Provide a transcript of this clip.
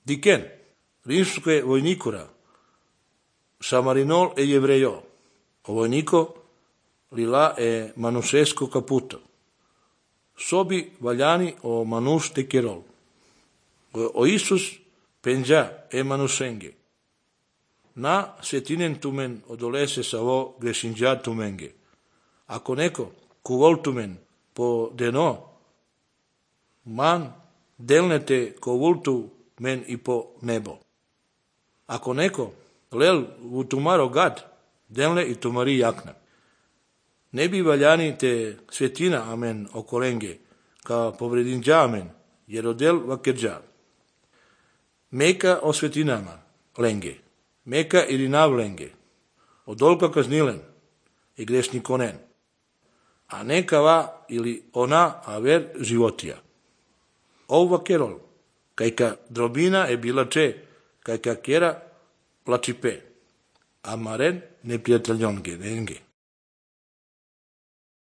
Diken, rimske vojnikura, Samarinol e Jevrejo, o vojnico lila e manusesco caputo. Sobi valjani o manus te kerol. O Isus penja e manusenge. Na setinen tumen odolese savo gresinja tumenge. Ako neko kuvol tumen po deno, man delnete kovultu men i po nebo. Ako neko lel u tumaro gad, delne i tumari jakna. Ne bi valjani te svetina amen okolenge, ka povredinđa amen, jer odel vakedža. Meka o svetinama lenge, meka ili nav lenge, odolka kaznilen i grešnik onen, a neka va ili ona aver životija. Ova kerol, kajka drobina e bila če, kajka kera plačipe, a maren neprijateljonge, nenge.